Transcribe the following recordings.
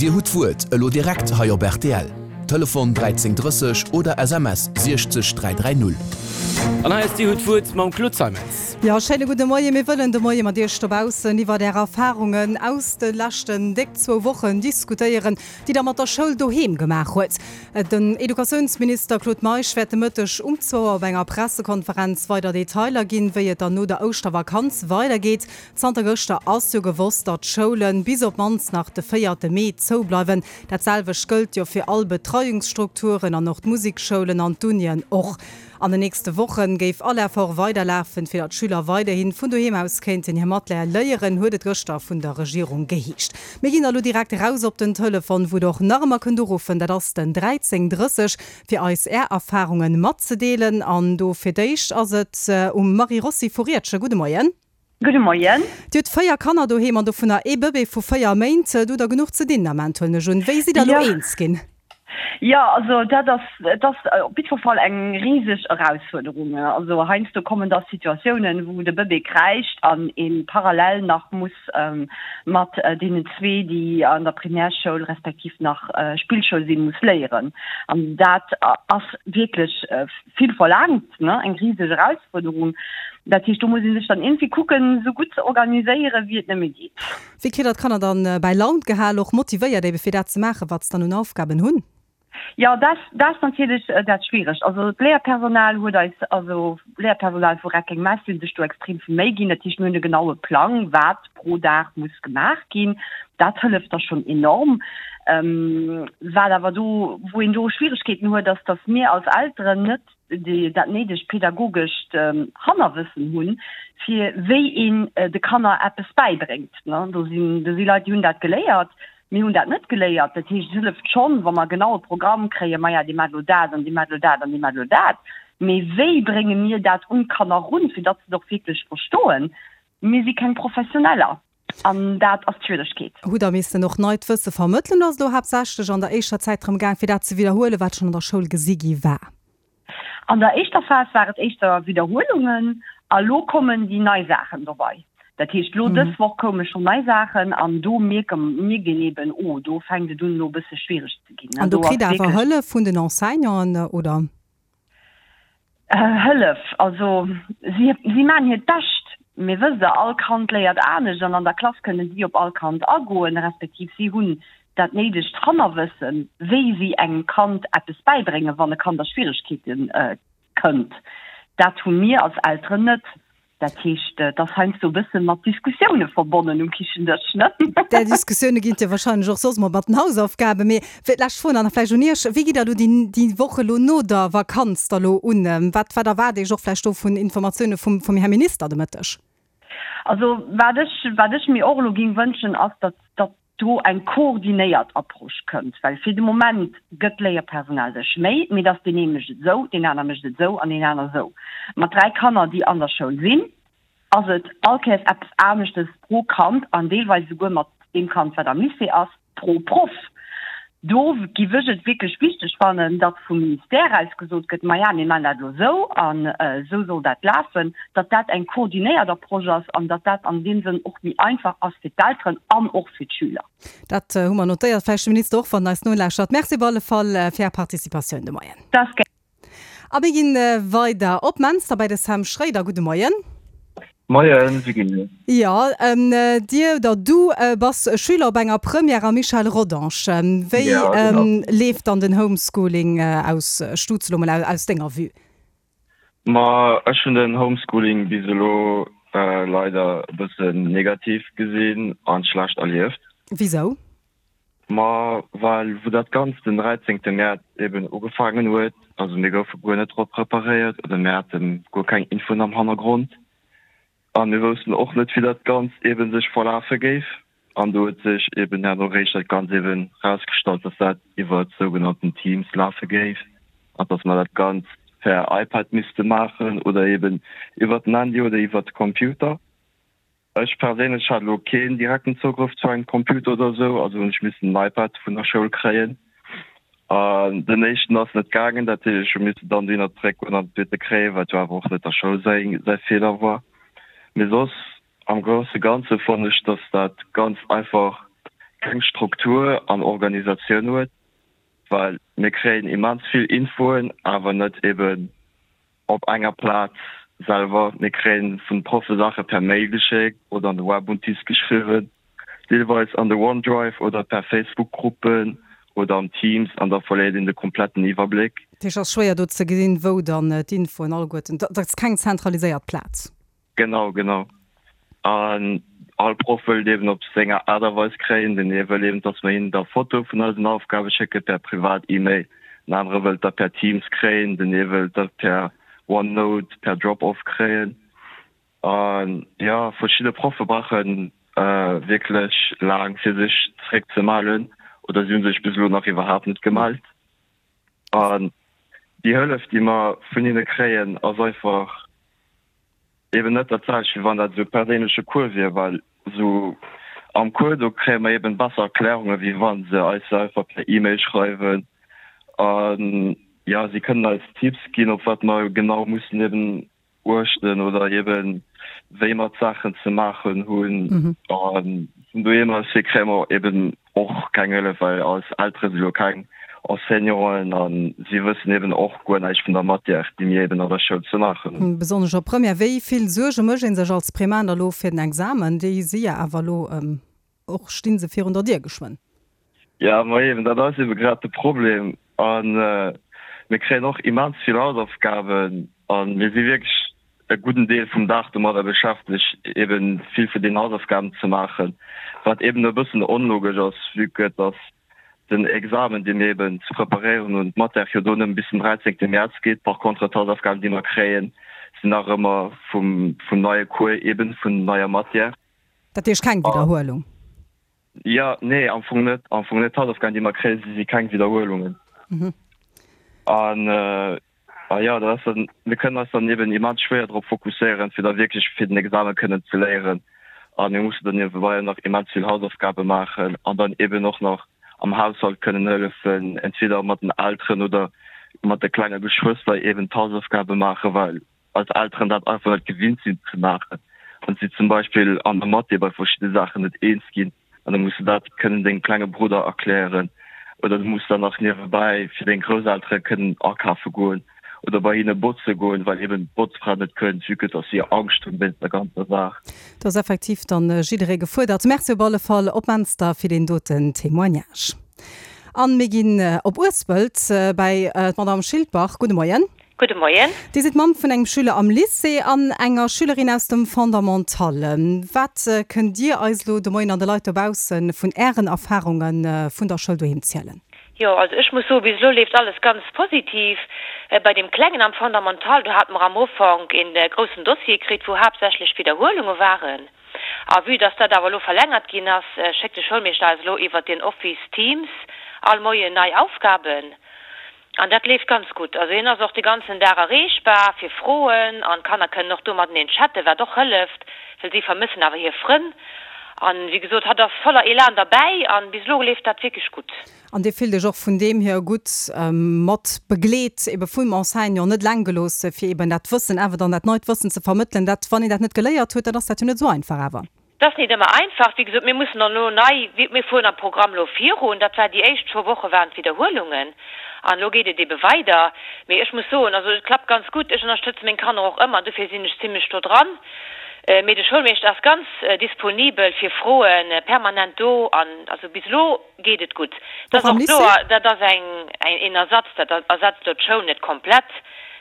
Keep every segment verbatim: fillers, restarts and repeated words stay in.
Dir hutt d'Wuert, elo direkt hei op rtl. Telefon dräizéng drësseg oder S M S siechzeg dräi dräi null. An hei ass Dir hutt d'Wuert mam Claude Zeimetz. Jo, schéine gudde Moien. Mir wëllen de Moie mat Iech dobaussen iwwert Är Erfarungen aus de leschten déck zwou Wochen diskutéieren, déi Der mat der Schoul doheem gemaach huet. Den Educatiounsminister Claude Meisch wäert de Mëtteg um zwou Auer op enger Pressekonferenz weider Detailer ginn, wéi et dann no der Ouschtervakanz weidergeet. Zanter gëschter ass jo gewosst, datt d'Schoule bis op d'mannst nach de véierte Mee zoubleiwen. Dat selwecht gëllt jo fir all Betreiungsstrukturen an och d'Musikschoulen an d'Unien och. An den nächste Woche géif all Effort weiderlafen, fir datt d'Schüler weiderhi vun doheem aus kéinten hir Matière léieren, huet et gëschter vun der Regierung geheescht. Mir ginn elo direkt eraus op den Telefon, wou der och nach ëmmer kënnt uruffen, dat ass den dräizéng drësseg, fir eis Är Erfarunge matzedeelen. An do fir d'éischt ass et um Marie Rossi vu Riedgen. Gudde Moien. Gudde Moien. Dir hutt véier Kanner doheem an dovunner ee Bëbee vu véier Méint. Do hutt Der genuch ze dinn am Ament, huelen ech un. Wéi sidd Der elo eens ginn? Jo, also dat ass, et ass op jiddwer Fall eng riseg Erausfuerderung. Also heiansdo kommen da Situatiounen, wou de Bëbee kräischt an ee parallel nach muss mat deenen zwee, déi an der Primärschoul respektiv nach Spillschoul sinn, muss léieren. An dat ass wierklech vill verlaangt, ne, eng riseg Erausfuerderung. Dat heescht, do muss ee sech dann iergendwéi kucken, esou gutt ze organiséieren, wéi et nëmme geet. Wéi kritt Der d'Kanner dann bäi Laun gehal, och motivéiert ebe fir dat ze maachen, wat se dann un Aufgaben hunn? Jo, dat dat ass natierlech dat Schwieregt. Also d'Léierpersonal huet eis, also d'Léierpersonal vu Reckeng-Mess hunn sech do extrem vill Méi ginn. Dat heescht, mir hunn e genaue Plang, wat pro Dag muss gemaach ginn. Dat hëlleft da schonn enorm. Wat awer do, wou een do Schwieregkeeten huet, ass, datt mir als Elteren net déi dat néidegt pädagogescht Hannerwëssen hunn, fir wéi een de Kanner eppes bäibréngt. Do sinn, do si Leit, déi hunn dat geléiert. Mir hunn dat net geléiert. Dat heescht, et hëlleft schonn, wa mer genau e Programm kréien, maja, dir maacht elo dat an dir maacht elo dat an dir maacht elo dat. Mee wéi brénge mir dat un d'Kanner erun, fir datt se et och wierklech verstoen? Mir si keng Professioneller an dat ass d'Schwieregkeet. Hutt Der missen och neit Wësse vermëttelen oder ass et elo haaptsächlech an der éischter Zäit drëm gaang, fir dat ze widderhuelen, wat schonn an der Schoul gesi gi war? An der éischter Phas war et éischter Widderhuelungen a lo kommen déi nei Saachen dobei. Dat heescht, lo dës Woch koume schonn nei Saachen an do mierke mierkt een eben, oh, do fänkt et un elo e bësse schwiereg ze ginn. An do kritt Der awer Hëllef vun den Enseignanten, oder? Hëllef, also si si maachen hiert Bescht, mee wësst Der, all Kand léiert anescht an an der Klass kënnen si op all Kand agoen, respektiv si hunn dat néidegt Hannerwëssen, wéi si engem Kand eppes bäibréngen, wann e Kand a Schwieregkeete kënnt. Dat hu mir als Elteren net. Dat heescht, et ass heiansdo e bësse mat Diskussioune verbonnen um Kichendësch, ne? Där Diskussioune ginn et jo warscheinlech och soss mol mat den Hausaufgaben. Mee fir d'lescht Fro nach vläicht un Iech, Wéi gitt Der elo déi, déi Woch elo no der Vakanz da lo un? Wat, wat erwaart Iech och vläicht do vun Informatioune vum, vum Här Minister de Mëtteg? Also wat ech, wat ech mir och elo géing wënschen, ass, datt, datt do eng koordinéiert Approche kënnt, well fir de Moment gëtt d'Léierpersonal sech Méi, mee et ass deen ee mécht et esou, deen aner mécht et esou an deen aner esou. Mat dräi Kanner, déi an der Schoul sinn, ass et all Kéiers eppes aneschtes pro Kand an deelweis esouguer mat deem Kand, wat am Lycée ass, pro Proff. Do giff ech et wierklech wichteg fannen, datt vum Ministère aus gesot gëtt, Maja, mir maachen dat elo esou an esou soll dat lafen, datt dat eng koordinéiert Approche ass an datt dat an deem Sënn och méi einfach ass fir d'Elteren an och fir d'Schüler. Dat hu mer notéiert. Vläicht de Minister och, wann en eis nolauschtert. Merci op alle Fall fir Är Participatioun de Moien. Dat ass gär. A mir ginn weider op Menster bei de Sam Schroeder. Gudde Moien. Moien, Virginie. Jo, dir oder du bass Schüler op enger Première am Michel Rodange. Wéi leeft dann den Homeschooling aus Stutz elo mol aus denger Vue? Ma ech hunn den Homeschooling bis elo leider e bëssen negativ gesinn an schlecht erlieft. Wisou? Ma well wou dat Ganzt den dräizéngte Mäerz eben ugefaangen huet, also mir goufe guer net drop preparéiert oder mir hate guer keng Infoen am Hannergrond a mir woussten och net wéi dat Ganzt eben sech verlafe géif an do huet sech eben herno réischt dat Ganzt eben rausgestallt, dass dat iwwert sougenannten Teams lafe géif an dass mer dat Ganzt per iPad misste maachen oder eben iwwert den Handy oder iwwert de Computer. Ech perséinlech hat elo keen direkten Zougrëff zu engem Computer oder esou, also hunn ech missen en iPad vun der Schoul kréien. An den éischten ass net gaangen, dat heescht ech hu missen dann dohinner zeréckgoen an den zweete kréien, wat jo awer och net der Schoul säi säi Feeler war. Mee soss am grousse Ganze fannen ech, dass dat Ganzt einfach keng Struktur an Organisatioun huet, well mir kréien immens vill Infoen, awer net eben op enger Plaz selwer. Mir kréien vun Proffe Saache per Mail geschéckt oder an de Webuntis geschriwwen, deelweis an de OneDrive oder per Facebook-Gruppen oder am Teams an da verléiert een de kompletten Iwwerbléck. Dat heescht, et ass schwéier do ze gesinn, wou dann d'Infoen alleguerten, dat ass keng zentraliséiert Plaz. Genau, genau. An all Proff wëllt eben op senger Aart a Weis kréien. Den ee wëll eben, dass mer hinnen da Fotoe vun eisen Aufgabe schécke per privat E-Mail, den anere wëllt der per Teams kréien, den ee wëllt der per OneNote, per Drop-Off kréien. An jo, verschidde Proffe brauche wierklech laang fir sech zeréckzemellen oder si hu sech bis elo nach iwwerhaapt net gemellt. An déi Hëllef, déi mer vun hinne kréien, ass einfach eben net dat selwecht, wéi wann dat esou e perséinleche Cours wier, well esou am Cours, do kréie mer eben besser Erklärungen, wéi wa se eis se einfach per E-Mail schreiwen. An jo, si kënnen eis Tipps ginn, op wat mer genau mussen eben uechten oder eben wéi mer d'Saachen ze maachen hunn. A vun doheem aus hier kréie mer eben och keng Hëllef, well eis Eltere si jo keng Enseignanten a si wëssen eben och guer näischt vun der Matière, déi mir eben an der Schoul ze maachen hunn. Besonnesch op Première. Wéi vill Suerge mécht ee sech als Primaire elo fir den Examen? Déi si jo awer elo och, sti se virun der Dier geschwënn. Jo, ma eben, dat ass ebe grad de Problem. A mir kréien och immens vill Hausaufgaben a mir si wierklech e gudden Deel vum Dag domadder beschäftegt, eben vill vun den Hausaufgaben ze maachen, wat eben e bëssen onlogesch ass, vue que dass den Examen, dee mir eben ze preparéieren hunn, d'Matière jo do nëmme bis den dräizéngte Mäerz geet. Par contre, d'Hausaufgaben, déi mer kréien, sinn nach ëmmer vum, vum neie Cours eben, vun neier Matière. Dat heescht keng Widderhuelung? Jo, nee, am Fong net. Am Fong net. D'Hausaufgaben, déi mer kréien, si si keng Widderhuelungen. An a jo, dat ass dann, mir kënnen eis dann eben immens schwéier drop fokusséieren, fir da wierklech fir den Examen kënnen ze léieren. A mir mussen dann niewebei nach immens vill Hausaufgabe maachen an dann eben och nach am Haushalt kënnen hëllefen, entweder mat den Elteren oder mat de klenge Geschwëster eben d'Hausaufgabe maachen, well eis Elteren dat einfach net gewinnt sinn ze maachen an si zum Beispill an der Mathé bei verschidde Saachen net eens ginn an da muss de dat kënnen dengem klenge Brudder erklären oder du muss dann nach niewebäi fir deng Grousseltere kënnen akafe goen oder bei hinne botze goen, well eben d'Botzfra net kënnt, vue que dass si Angscht hunn wéinst der ganzer Saach. Do ass effektiv dann jidderee gefuerdert. Merci op alle Fall op Menster fir deen doten Témoignage. An mir ginn op Uespelt bäi d'Madame Schildbach. Gudde Moien. Gudde Moien. Dir sidd Mamm vun engem Schüler am Lycée an enger Schülerin aus dem Fondamental. Wat kënnt Dir eis elo de Moien an de Leit dobausse vun Ären Erfarunge vun der Schoul doheem zielen? Jo, also ech muss soen, bis elo leeft alles ganz positiv. Bei deem Klengen am Fondamental, do hate mer am Ufank een groussen Dossier kritt, wou haaptsächlech Widderhuelunge waren. A vue dass dat awer elo verlängert ginn ass, schéckt de Schoulmeeschter eis elo iwwert den Office Teams all Moien nei Aufgaben. An dat leeft ganz gutt. Also hien ass och de ganzen Dag erreechbar fir Froen an d'Kanner kënnen och do mateneen chatten, wat och hëlleft, well si vermëssen awer hir Frënn. An wéi gesot, hatt ass voller Elan derbäi an bis elo leeft dat wierklech gutt. An Dir fillt Iech och vun deem hier gutt mat begleet, ebe vum Enseignant, net eleng gelooss, fir eben dat Wëssen awer dann, dat neit Wëssen ze vermëttelen, dat, wann een dat net geléiert huet, dann ass dat jo net esou einfach awer. Et ass nit ëmmer einfach. Wéi gesot, mir mussen dann elo nei, mir fueren am Programm elo virun. Dat war déi éischt zwou Woche waren d'Widderhuelungen an elo geet et ebe weider. Mee ech muss soen, also et klappt ganz gutt. Ech ënnerstëtze meng Kanner och ëmmer, dofir sinn ech zimlech do dran. Mee de Schoulmeeschter ass ganz disponibel fir Froen, permanent do an also bis elo geet et gutt. Et Och ass am och Lycée? kloer, dat ass eng, een Ersatz, dat ersetzt elo d'Schoul net komplett.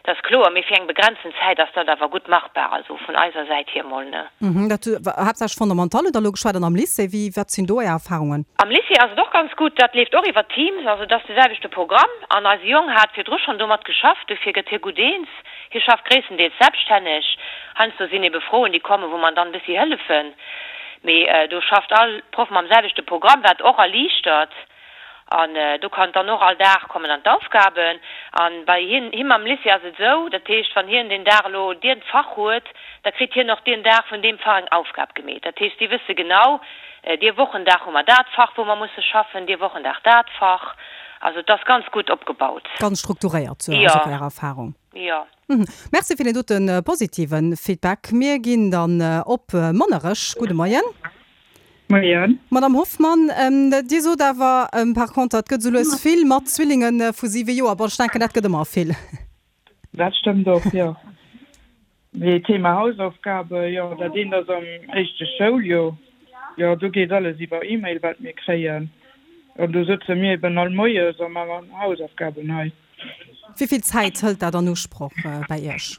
Dat ass kloer, mee fir eng begrenzen Zäit ass dat awer gutt machbar, also vun eiser Säit hier mol, ne? Dat haaptsächlech Fondamental hutt Der elo geschwat, an am Lycée, wéi, wat sinn do Är Erfahrungen? Am Lycée ass et och ganz gutt, dat leeft och iwwer Teams, also et ass de selwechte Programm an eise Jong hat virdru schonn domat geschafft, dofir gëtt hie gutt eens. Hie schafft gréisstendeels selbststänneg, heiansdo sinn ebe Froen déi kommen, wou mer dann e bëssi hëllefen, mee do schafft all Proff mam selwechte Programm, wat och erliichtert. An do kann dann och all Dag kommen dann d'Aufgaben. An bei hien, him am Lycée ass et esou, dat heescht, wann hien deen Dag elo dien Fach huet, da kritt hien och dien Dag vun deem Fach eng Aufgab gemeet. Dat heescht, si wësse genau, dee Wochendag hu mer dat Fach, wou mer musse schaffen, dee Wochendag dat Fach. Also et ass ganz gutt opgebaut. Ganz strukturéiert, sou Jo. ass och Är Erfahrung. Jo. Merci fir deen dote positive Feedback. Mir ginn dann op Monnerech. Gudde Moien. Moien. Madame Hoffmann, Dir sot awer par contre, et gëtt esou lues vill mat Zwillinge vu siwe Joer. Bon, ech denken, dat gëtt ëmmer vill. Dat stëmmt och, jo. Mee Thema Hausaufgabe, jo, dat eent ass am éischte Schouljoer, jo, do geet alles iwwer E-Mail, wat mir kréien. An do sëtze mir eben all moies a maachen Hausaufgaben hei. Wéi vill Zäit hëlt dat an Usproch bäi Iech?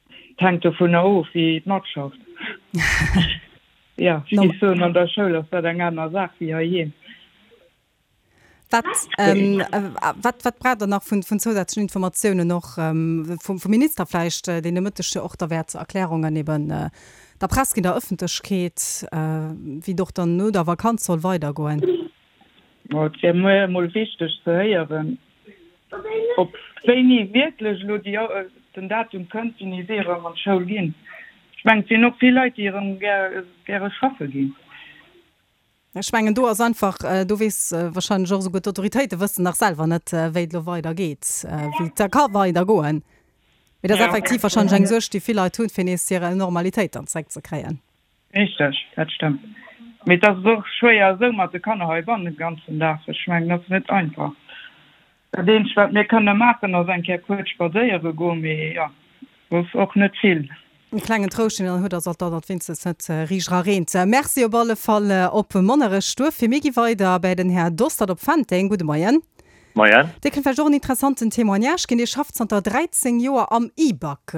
Et hänkt dovunner of, wéi et matschafft. Jo, ech géif soen, an der Schoul ass dat eng aner Saach wéi heiheem. Wat, wat, wat braucht Der nach vun, vun zousätzlechen Informatiounen och vum, vum Minister vläicht, deen de Mëtteg jo och da wäert Erklärungen eben der Press ginn, der Ëffentlechkeet, wéi et och dann no der Vakanz soll weidergoen? Ma et wär mir emol wichteg ze héieren, ob wéini wierklech elo déi, den Datum kënnt, wéini si erëm an d'Schoul ginn. Ech mengen, et sinn och vill Leit, déi erëm gäre schaffe ginn. Ech mengen, do ass einfach, do weess wahrscheinlech och esouguer d'Autoritéite wëssen nach selwer net, wéi et elo weidergeet, wéi et da ka weidergoen. Mee dat ass effektiv wahrscheinlech eng Suerg, déi vill Leit hunn, fir nees hir Normalitéit dann zeréckzekréien. Richteg, dat stëmmt. Mee et ass och schwéier esou mat de Kanner heibannen de ganzen Dag. Ech mengen, dat ass net einfach. Dat eenzegt, wat mir kënne maachen, ass eng Kéier kuerz spadséiere goen, mee jo, soss och net vill. E klengen Trouscht, deen een huet, ass alt, datt et wéinstens net riicht era reent. Merci op alle Fall op Monnerech. Duerfir, mir gi weider bäi den Här Dostert op Fenteng. Gudde Moien. Moien. Dir kënnt vläicht och en interessanten Témoignage ginn. Dir schafft zanter dräizéng Joer am IBAC.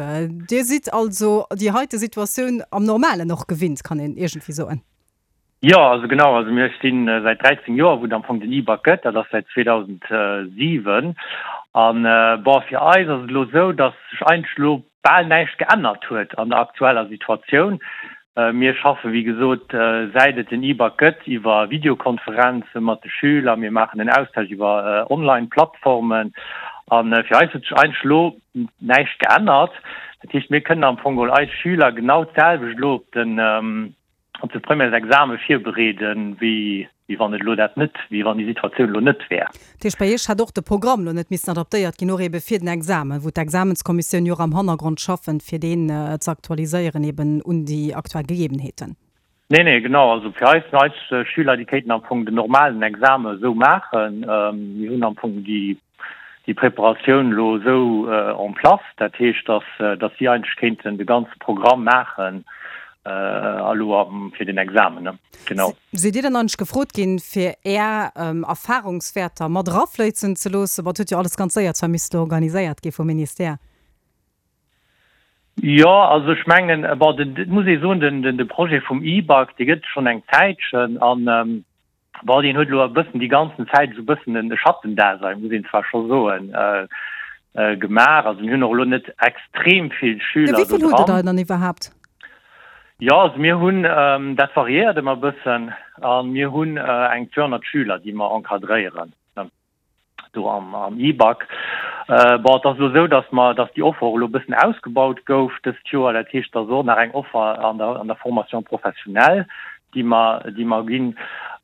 Dir sidd also déi heite Situatioun am Normalen och gewinnt, kann een iergendwéi soen. Jo, also genau, also mir sti säit dräizéng Joer, wou et am Fong den IBAC gëtt, dat ass säit zweedausendsiwen An bon, fir eis ass et elo esou, datt sech eigentlech elo bal näischt geännert huet an der aktueller Situatioun. Mir schaffe wéi gesot, säit et den IBAC gëtt, iwwer Videokonferenze mat de Schüler, mir maachen en Austausch iwwer Online-Plattformen. A fir eis huet sech eigentlech elo näischt geännert. Dat heescht, mir kënnen am Fong geholl eis Schüler genau d'selwecht elo op den, op de Premièresexame virbereeden, wéi wann et elo dat net, wéi wann déi Situatioun elo net wär. Dat heescht, bei Iech hätt och de Programm elo net missen adaptéiert ginn, och ebe fir den Examen, wou d'Examenskommissioun jo och am Hannergrond schaffen, fir deen ze aktualiséieren eben un déi aktuell Gegebenheeten. Nee, nee, genau. Also fir eis, eis Schüler, déi kéinten am Fong den normalen Examen esou maachen. Mir hunn am Fong déi, déi Preparatioun elo esou en place, dat heescht, dass, dass si eigentlech kéinten de ganze Programm maachen elo fir den Examen, ne? Genau. Sidd Dir dann eigentlech gefrot ginn, fir Är Erfahrungswäerter mat erafléissen ze loossen? Bon, et huet jo alles ganz séier zwar misste organiséiert gi vum Ministère. Jo, also ech mengen, bon, den, et muss ee soen, den, den, de Projet vum E-Bac, dee gëtt et schonn eng Zäitchen an, Bon, deen huet elo e bëssen déi ganzen Zäit esou e bëssen e Schattendasein, muss een zwar scho soen, gemaach. Also mir hunn och elo net extrem vill Schüler do dran. Wéi vill hutt Der dann iwwerhaapt? Jo, also mir hunn, dat variéiert ëmmer e bëssen, a mir hunn eng zweehonnert Schüler, déi mer encadréieren. Do am am E-Bac. Bon, et ass elo esou, datt mer, datt déi Offer och elo e bëssen ausgebaut gouf dëst Joer. Dat heescht, et ass och nach eng Offer an der an der Formation professionnelle, déi mer, déi mer ginn.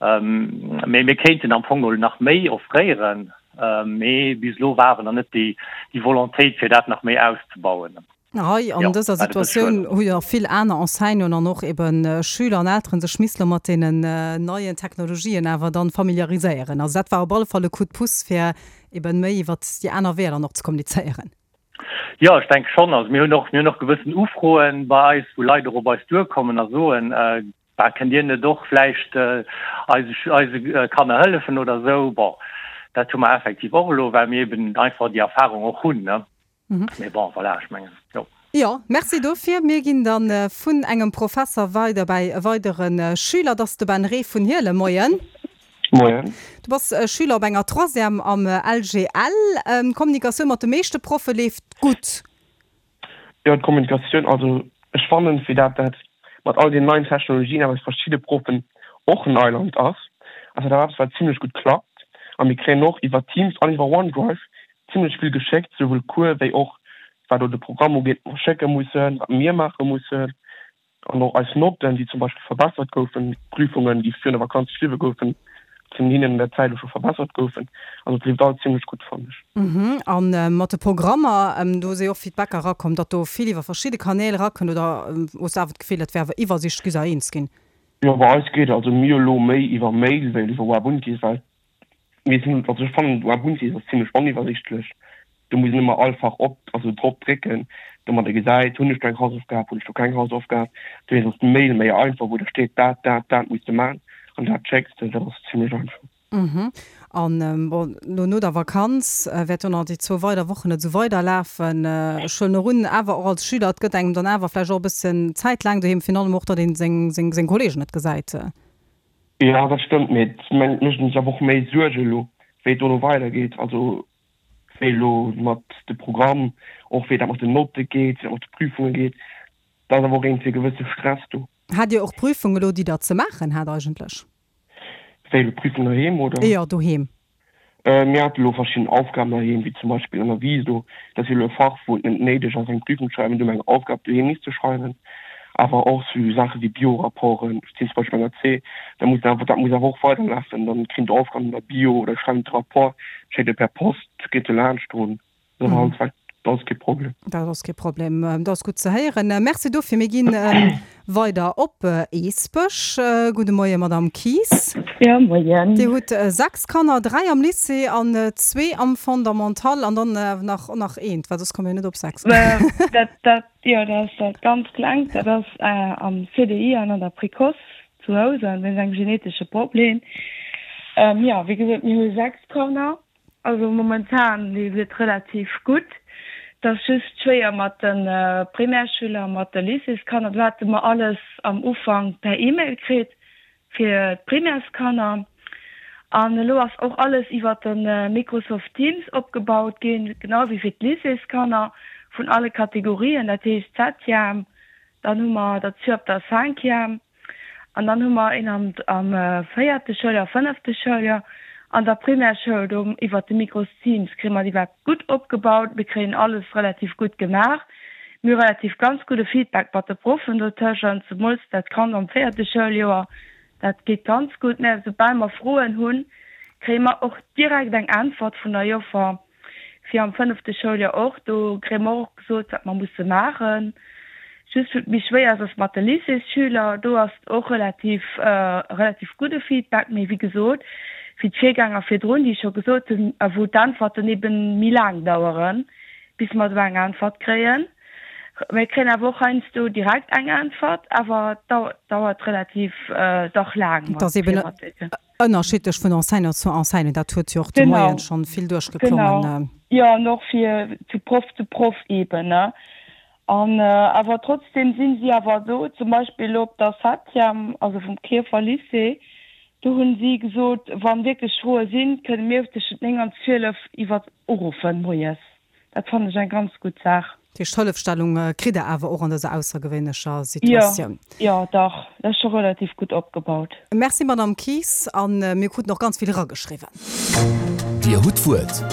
Mee mir kéinten am Fong geholl nach méi offréieren, mee bis elo war awer nach net déi déi Volontéit, fir dat nach méi auszebauen. Hei an dëser Situatioun hu jo vill aner Enseignanten an och eben Schüler an Elteren sech missele mat deenen neien Technologien awer dann familiariséieren. Also dat war op alle Fall e Coup de pouce fir eben méi iwwert déi aner Weeër dann och ze kommunizéieren. Jo, ech denke schonn. Also mir hunn och, mir hunn och gewëssen Ufroen bei eis, wou Leit och op eis duerkommen a soen, Bah, kënnt Dir net och vläicht eise, eise Kanner hëllefen oder esou? Bon, dat hu mer effektiv och elo, well mir eben einfach déi Erfahrung och hunn, ne. Mee bon, voilà, ech mengen, jo. Jo, merci dofir. Mir ginn da vun engem Professer weider bäi e weidere Schüler. Dat ass de Ben Reh vun Hielem. Moien. Moien. Du bass Schüler op enger Troisième am L G L. D'Kommunikatioun mat de meeschte Proffe leeft gutt. Jo, d'Kommunikatioun, also ech fannen, fir dat dat mat all den neien Technologien awer fir verschidde Proffen och Neiland ass, ass dat awer eppes wat zimlech gutt klappt. A mir kréien och iwwer Teams an iwwer OneDrive zimlech vill geschéckt, souwuel Cours wéi och wat elo de Programm ugeet, wat mer schécke mussen, wat mir maache mussen an och eis Notten, déi zum Beispill verbessert goufen, Prüfungen, déi virun der Vakanz geschriwwe goufen, vun hinnen an der Zäit elo scho verbessert goufen. Also et leeft alles zimlech gutt, fannen ech. A mat de Programmer, do si jo och Feedbacker erakomm, datt do vill iwwer verschidde Kanäl erakënnt, oder hues de awer d'Gefill, dat wär awer iwwersiichtlech, gitt der eens ginn? Jo bei eis geet also mir elo méi iwwer Mail wéi iwwer Webuntis, well mir sinn, also ech fannen Webuntis ass zimlech oniwwersichtlech, do muss een ëmmer all Fach op, also drop drécken, domat ee gesäit, hunn ech do eng Hausaufgab, hunn ech do keng Hausaufgab. Dowéinst ass d'Mail méi einfach, wou da steet dat, dat, dat muss de man an dat schécks de, dat ass zimlech einfach. Mhm. An bon, elo no der Vakanz wäert jo nach déi zwou weider Wochen et esou weiderlafen. Ech huelen och un, awer och als Schüler, et gëtt engem dann awer vläicht och e bësschen Zäit laang doheem, virun allem och, datt ee seng, seng, seng Kolleegen net gesäit. Jo, dat stëmmt, mee et mécht een sech awer och méi Suerge elo, wéi et dono weidergeet. Also wéi elo mat de Programm, och wéi dat mat den Notte geet, wéi dat mat de Prüfunge geet. Da ass awer och iergendwéi e gewësse Stress do. Hat Dir och Prüfung elo, déi Der ze maachen hat eigentlech? Wéi elo Prüfung doheem, oder? Jo, doheem. Mir hate elo verschidden Aufgaben doheem, wéi zum Beispill an der Viso. Dat ass jo elo e Fach, wou et net néideg ass, eng Prüfung ze schreiwen, do hu mer eng Aufgab doheem misse schreiwen. Awer och sou Saache wéi Bio-Rapporten, ech sinn zum Beispill an der C, da muss awer, dat muss awer och weiderlafen. Dann kréien d'Aufgaben an der Bio oder schreiwen de Rapport, schéckt e per Post, geet do laanscht drun. Dat ass alles. Dat ass kee Problem. Dat ass kee Problem. Dat ass gutt ze héieren. Merci dofir. Mir ginn weider op Eesbech. Gudde Moien, Madamm Kies. Jo, Moien. Dir hutt sechs Kanner, dräi am Lycée an zwee am Fondamental an dann nach nach eent, well soss komme mir net op sechs. Dat, dat, jo, dat ass dat ganz Klengt. Dat ass am C D I an an der Précoce zu Housen wéinst engem genetesche Problem. Jo, wéi gesot, mir hu sechs Kanner. Also momentan leeft et relativ gutt. Et ass just schwéier mat de Primärschüler a mat de Lycéeskanner. Do hate mer alles am Ufank per E-Mail kritt fir d'Primärskanner. An elo ass och alles iwwer de Microsoft Teams opgebaut ginn, genau wéi fir d'Lycéeskanner vun alle Kategorien, dat heescht Septième, dann hu mer der zwee op der Cinquième an dann hu mer een am am véierte Schouljoer, fënnefte Schouljoer. An der Primärschoul do iwwert de Micros Teams kréie mer déi iwwerhaapt gutt opgebaut. Mir kréien alles relativ gutt gemaach. Mir hu relativ ganz gudde Feedback mat de Proffen dotëschent, zemools dat Kand am véierte Schouljoer, dat geet ganz gutt. Mä soubal mer Froen hunn, kréie mer och direkt eng Äntwert vun der Joffer. Fir am fënnefte Schouljoer och, do kréie mer och gesot, wat mer musse maachen. Just wou et méi schwéier ass, ass mat de Lycéesschüler. Do ass et och relativ, relativ gudde Feedback, mee wéi gesot, wéi d'Virgänger virdrun, déi scho gesot hunn, a wou d'Äntwerten eeben méi laang daueren, bis mer do eng Äntwert kréien. Mir kréien awer och heiansdo direkt eng Äntwert, awer et dauert relativ dach laang Et ass eeben ënnerschiddlech vun Enseignant zu Enseignant, dat huet jo och de Moien schonn vill duerchgeklongen. Genau, jo, an och fir vu Proff zu Proff eeben, ne. An awer trotzdem sinn si awer do, zum Beispill elo op der Septième, also vum Klierfer Lycée, do hunn si gesot, wann wierklech Froe sinn, kënne mir tëschent néng an zwielef iwwer uruffen moies. Dat fannen ech eng ganz gutt Saach. Dat heescht, Hëllefstellung kritt Der awer och an dëser aussergewéinlecher Situatioun? Jo, jo, dach, dat ass scho relativ gutt opgebaut. Merci, Madamm Kies. A mir kruten och ganz vill erageschriwwen. Dir hutt d'Wuert.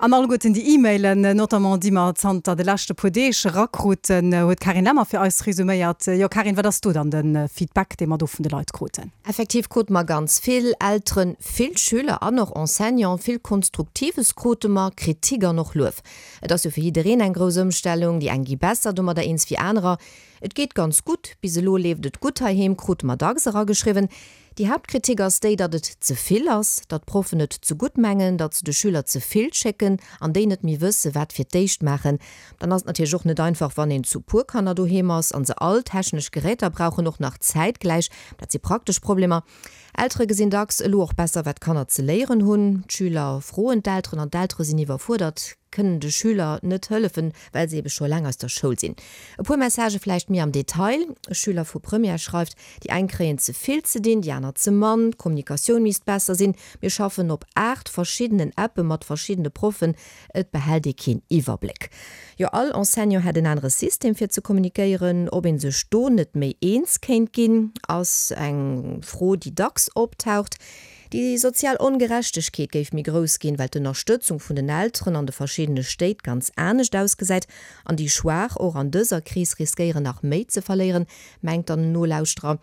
An alleguerten déi E-Mailen, notamment déi mer zanter de leschte puer Deeg erakruten, huet d'Carine Lemmer fir eis resuméiert. Jo Carine, wat ass do dann de Feedback, dee mer do vun de Leit kruten? Effektiv krute mer ganz vill Elteren, vill Schüler an och Enseignanten. Vill Konstruktives krute mer, Kritik an och Luef. Et ass jo fir jiddereen eng grouss Ëmstellung, déi eng gi besser domadder eens wéi anerer. Et geet ganz gutt, bis elo leeft et gutt heiheem, krute mer dacks erageschriwwen. Déi Haaptkritik ass déi, datt et ze vill ass, datt d'Proffen et ze gutt mengen, datt se de Schüler ze vill schécken an déi net méi wësse wat fir d'éischt maachen. Dann ass et natierlech och net einfach, wann een zu puer Kanner doheem ass an se all technesch Geräter brauchen, och nach zäitgläich. Dat si praktesch Problemer. Eltere gesinn dacks elo och besser, wat d'Kanner ze léieren hunn. D'Schüler froen d'Elteren an d'Eltere sinn iwwerfuerdert, kënnen de Schüler net hëllefen, well se ebe scho laang aus der Schoul sinn. E puer Messagë vläicht méi am Detail, E Schüler vu Première schreift, Déi eng kréien ze vill ze dinn, déi aner ze mann. D'Kommunikatioun misst besser sinn. Mir schaffen op aacht verschiddenen Appe mat verschiddene Proffen. Et behält ee keen Iwwerbléck. Jo, all Enseignant hätt en anere System fir ze kommunikéieren. Ob ee sech do net méi eens kéint ginn, ass eng Fro, déi dacks optaucht. Déi sozial Ongerechtegkeet géif méi grouss ginn, well d'Ënnerstëtzung vun den Elteren an de verschiddene Stéit ganz anescht ausgesäit an déi Schwaach och an dëser Kris riskéieren nach méi ze verléieren, mengt dann en Nolauschterer.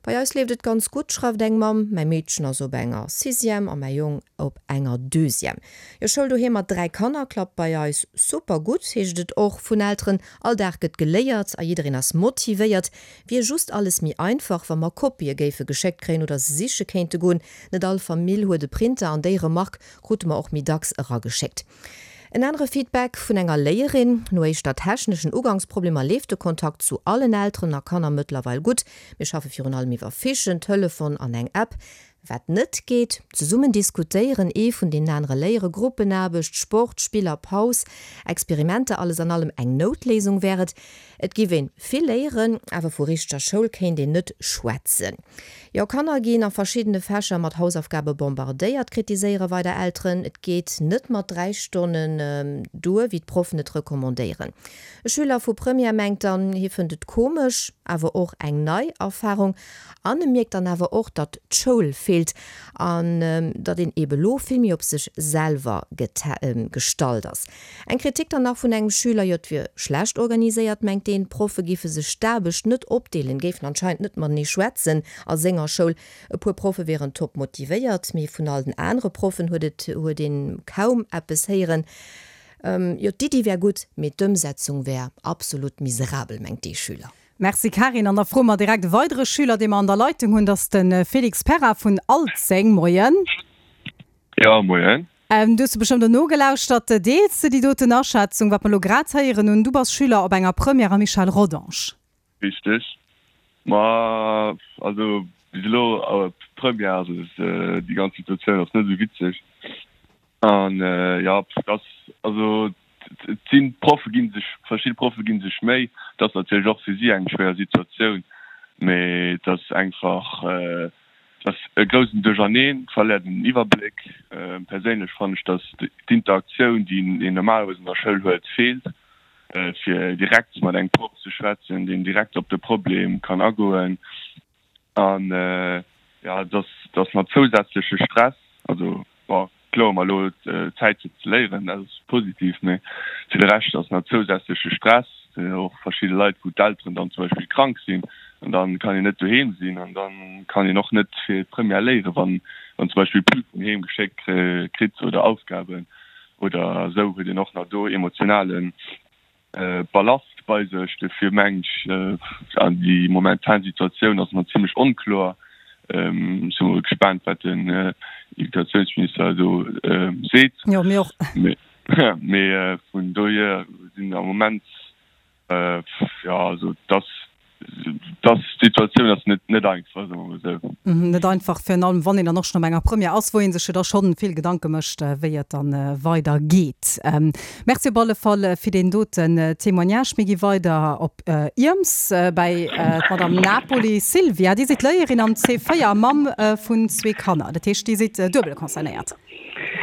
Bei eis leeft et ganz gutt, schreift eng Mamm, mäi Meedchen ass op enger Sixième a mäi Jong op enger Deuxième. Jo, Schoul doheem mat dräi Kanner klappt bei eis super gutt, heescht et och vun Elteren. All Dag gëtt geléiert a jiddereen ass motivéiert. Wier just alles méi einfach, wa mer Kopië géife geschéckt kréien oder se siche kéinte goen. Net all Famill huet e Printer an déi Remark krute mer och méi dacks erageschéckt. En anere Feedback vun enger Léierin, No éischter techneschen Ugangsproblemer leeft de Kontakt zu allen Elteren a Kanner mëttlerweil gutt. Mir schaffe virun allem iwwer Fichen, Telefon an eng App. Wat net geet, Zesummen diskutéieren, ee vun deenen anere léieren, Gruppenaarbecht, Sport, Spiller, Paus, Experimenter, alles an allem eng Noutléisung wär et. Et giff een vill léieren, awer vu richteger Schoul kéint een net schwätzen. Jo, Kanner ginn a verschiddene Fächer mat Hausaufgabe bombardéiert, kritiséiere weider Elteren. Et geet net mat dräi Stonnen duer, wéi d'Proffen et recommandéieren. E Schüler vu Première mengt dann, hie fënnt et komesch, awer och eng nei Erfarung. An e mierkt dann awer och, datt d'Schoul feelt an datt een ebe lo vill méi op sech selwer gestallt ass. Eng Kritik dann nach vun engem Schüler, jo et wier schlecht organiséiert, mengt deen, d'Proffe giffe sech d'Aarbecht net opdeelen, géifen anscheinend net matenee schwätzen a senger Schoul. E puer Proffe wieren top motivéiert, mee vun all den anere Proffen huet et huet een kaum eppes héieren. Jo d'Iddi wär gutt, mee d'Ëmsetzung wär absolut miserabel, mengt dee Schüler. Merci Carine. An da froe mer direkt e weidere Schüler, dee mer an der Leitung hunn, dat ass de Félix Perra vun Alzeng. Moien. Jo, moien. Du hues bestëmmt och nogelauschtert. Deels de déi doten Aschätzung, wat mer elo grad héieren hunn? Du bass Schüler op enger Première am Michel Rodange. Richteg. Ma also bis elo op Première, also déi ganz Situatioun ass net esou witzeg. An jo, et ass also et sinn d'Proffe gi sech, verschidde Proffe gi sech Méi. Et ass natierlech och fir si eng schwéier Situatioun, mee et ass einfach, Et ass e groussen Duercherneen, et verléiert een den Iwwerbléck. Perséinlech fannen ech, datt d'Interaktioun, déi een normalerweis an der Schoul huet, feelt, fir direkt mat engem Proff ze schwätzen, deen direkt op de Problem kann agoen. An jo, et ass nach zousätzleche Stress. Also bon, kloer, mer elo Zäit fir ze léieren, dat ass positiv, mee fir de Rescht ass nach zousätzleche Stress. Och verschidde Leit, wou d'Elteren dann zum Beispill krank sinn an da kann een net doheem sinn an da kann een och net fir d'Première léieren, wann wann zum Beispill Prüfung heem geschéckt kritt oder Aufgaben oder esou, huet een och nach do emotionale Ballast bei sech. Dofir mengen ech, an déi momentan Situatioun ass nach zimlech onkloer. Ech si mol gespaant, wat den Educatiounsminister do seet. Jo, mir och. Mee vun dohier sinn am Moment, jo, also dass dass d'Situatioun ass net net einfach, soe mer mol esou. Net einfach, virun allem wann een dann och schonn op enger Première ass, wou ee sech jo da schonn vill Gedanke mécht, wéi et dann weider geet. Merci op alle Fall fir deen doten Témoignage. Mir gi weider op Ierms bäi d'Madame Napoli Silvia. Dir sidd Léierin am C véier a Mamm vun zwee Kanner. Dat heescht, Dir sidd duebel concernéiert.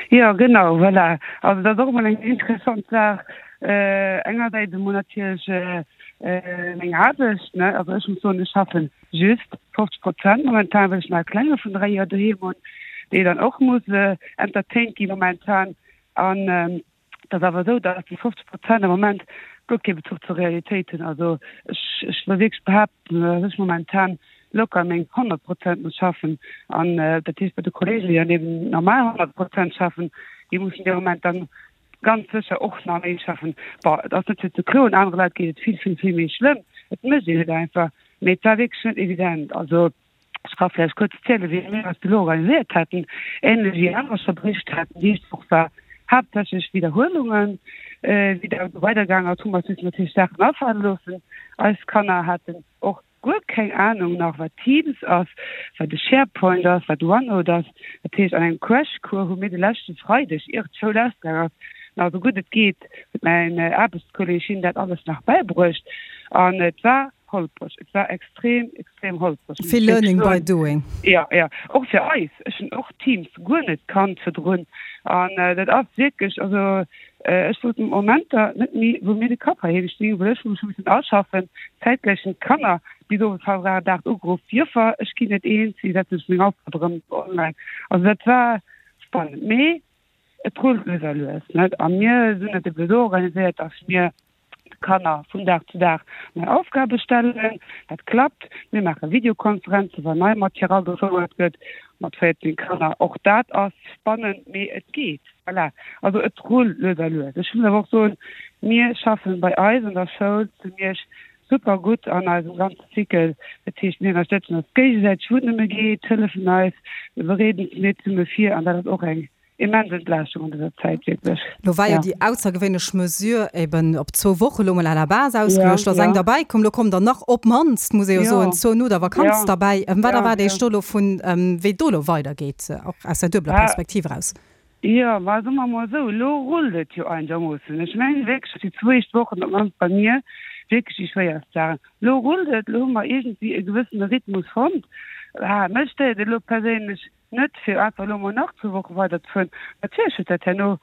Jo, genau, voilà. Also dat ass och emol eng interessant Saach. Engersäits emol natierlech meng Aarbecht, ne, also ech muss soen, ech schaffen just fofzeg Prozent momentan, well ech nach e Klenge vun dräi Joer doheem hunn, dee dann och muss entertained gi momentan. An et ass awer esou, datt déi fofzeg Prozent am Moment guer kee Bezuch zur Realitéit hunn. Also ech, ech wëll wierklech behaapten, datt ech momentan locker meng honnert Prozent muss schaffen. An dat heescht bei de Kollegen, déi dann eben normal honnert Prozent schaffen, déi mussen dee Moment dann ganz sécher och nach méi schaffen. Bon, et ass net fir ze kloen, anere Leit geet et vill, vill, vill méi schlëmm. Et mécht een et einfach. Mee et war wierklech net evident. Also ech ka vläicht kuerz zielen, wéi mir eis elo organiséiert haten, ähnlech wéi anerer scho bericht haten. Déi éischt Woch war haaptsächlech Widderhuelungen. Wéi dat elo weidergaangen ass, hu mer eis missen natierlech Saachen afale loossen. Eis Kanner haten och guer keng Anung nach wat Teams ass, wat e SharePoint ass, wat OneNote ass. Dat heescht an engem Crashcours hu mir de leschte Freideg, ier d'Schoul ausgaang ass, nach esou gutt et geet, huet mäin Aarbechtskolleg him dat alles nach bäibruecht an et war holpreg. Et war extrem, extrem holpreg, muss Vill ech wierklech Learning by soen. doing. Jo, jo, och fir eis. Ech hunn och Teams guer net kannt virdrun an dat ass wierklech, also Ech wosst Momenter net méi, wou mir de Kapp heiheem stinn, well ech hu mech hu missen aschaffen. Zäitgläich hunn d'Kanner bis owes hallwer aacht, aacht ugeruff, Joffer, ech ginn net eens, wéi setzen ech meng Aufgabe erëm online? Also dat war spannend, mee et rullt lues a lues, net? A mir sinn et ebe sou organiséiert, dass mir Kanner vun Dag zu Dag nei Aufgabe stellen. Dat klappt. Mir maache Videokonferenzen, wann nei Matière agefouert gëtt, mat véierzéng Kanner. Och dat ass spannend, mee et geet. Voilà. Also et rullt lues a lues. Ech muss awer och soen, mir schaffen bei eis an der Schoul zu Miersch super gutt an eisem ganze Cycle. Dat heescht, mir ënnerstëtzen eis géigesäiteg, wou et nëmme geet, hëllefen eis, mir bereeden mir zesumme vir an dat ass och eng immens Entlaaschtung an dëser Zäit, wierklech. Lo war jo déi aussergewéinlech Mesure eben op zwou Woche lo mol à la base ausgeluecht, lo ass eng derbäi komm, lo kommen der nach op d'mannst, muss ee jo soen, zwou no der Vakanz derbäi. Wat erwaart Iech do lo vun, wéi et do lo weidergeet, och aus der duebeler Perspektiv eraus? Jo, ma soe mer mol esou, elo rullt et jo einegermoossen. Ech mengen wierklech, datt déi zwou éischt Wochen, op d'mannst bei mir, wierklech déi schwéierst waren. Elo rullt et, elo hu mer iergendwéi e gewëssene Rhythmus fonnt. Mech stéiert et elo perséinlech net, fir einfach elo mol nach zwou Woche weiderzefueren. Natierlech huet dat herno